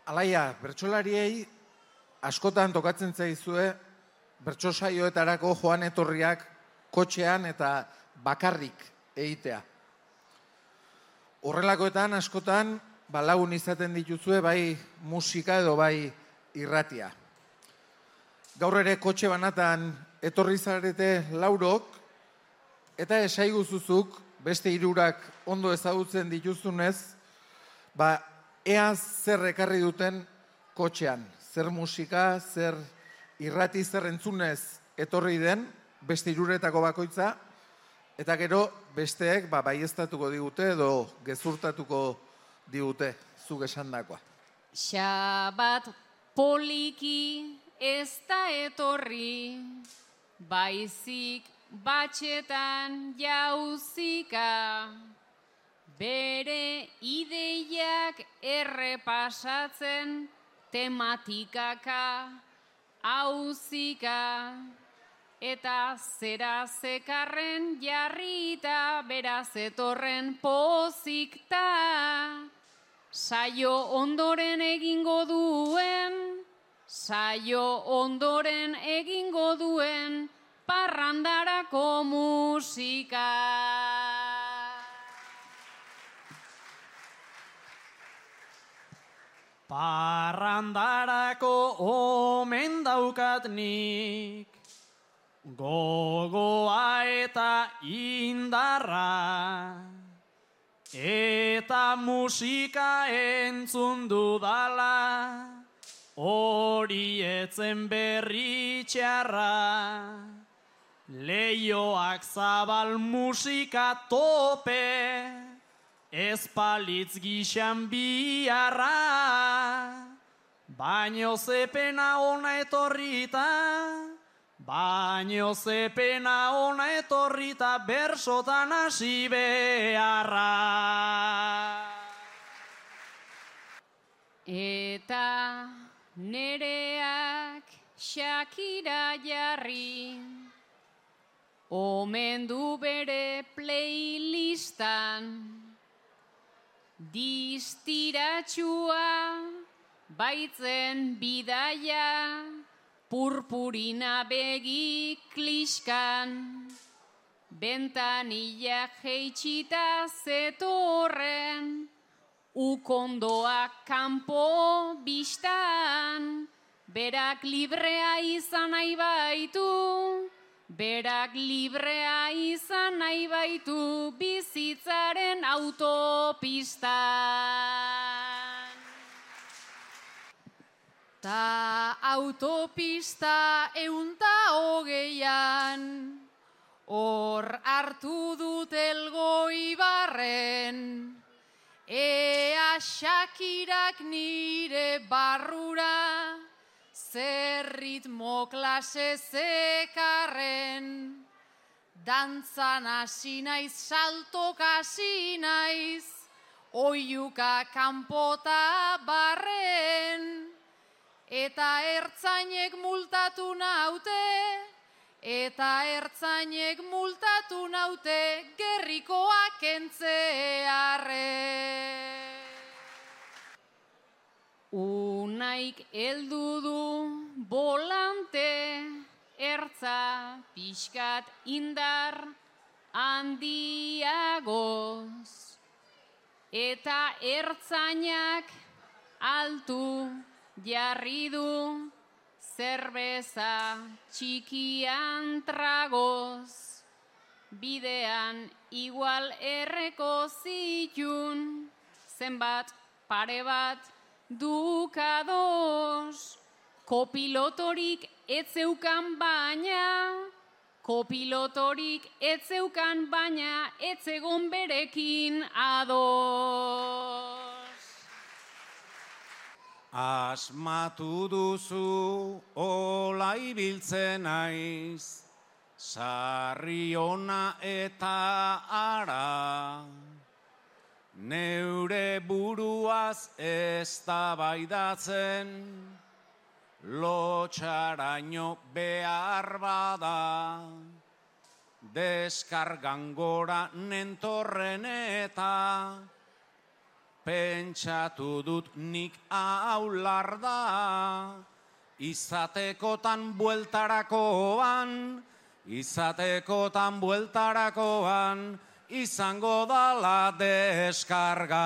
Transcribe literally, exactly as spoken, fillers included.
Alaia, bertsolariei askotan tokatzen zaizue bertso saioetarako joan etorriak kotxean eta bakarrik egitea. Horrelakoetan askotan balagun izaten dituzue bai musika edo bai irratia. Gaur ere kotxe banatan etorri zarete laurok eta esaiguzuzuk beste hirurak ondo ezagutzen dituzunez, ba ea zer ekarri duten kotxean, zer musika, zer irrati, zer entzunez etorri den, beste hiruretako bakoitza, eta gero besteek ba, baieztatuko digute edo gezurtatuko digute zuk esandakoa. Xabat poliki ez da etorri, baizik batxetan jauzika, bere ideiak errepasatzen tematikaka hauzika, eta zera zekarren jarrita beraz etorren pozikta, saio ondoren egingo duen, saio ondoren egingo duen parrandarako musika. Parrandarako omen daukat nik, gogoa eta indarra, eta musika entzun dudala, hori etzen berri txarra. Leioak zabal musika tope, ez palitz gixan biarra, baino zepena ona etorrita, baino zepena ona etorrita bersotan hasi beharra. Eta nereak Shakira jarri, omen du bere playlistan, distiratxua baitzen bidaia, purpurina begi kliskan, bentanilla jeitxita zetorren, ukondoak kanpo bistan, berak librea izan nahi baitu, berak librea izan nahi baitu bizitzaren autopistan. Ta autopista eunta hogeian, hor hartu dut Elgoibarren, ea Shakirak nire barrura, zer ritmo klase zekarren, dantzan hasi naiz, saltok hasi naiz, oiuka kanpota barren, eta ertzainek multatu naute, eta ertzainek multatu naute, gerrikoak entzearren. Unaik heldu du volante, ertza pixkat indar handiagoz, eta ertzainak altu jarri du zerbeza txikian tragoz, bidean igual erreko zitun, zenbat pare bat dukadoz, kopilotorik etzeukan baina, kopilotorik etzeukan baina, etzegon berekin ados. Asmatu duzu ola ibiltzen naiz, sarri ona eta ara, neure buruaz eztabaidatzen, lotxaraino behar bada, deskargan gora nentorren eta pentsatu dut nik aular da, izatekotan bueltarakoan, izatekotan bueltarakoan, izango dala deskarga.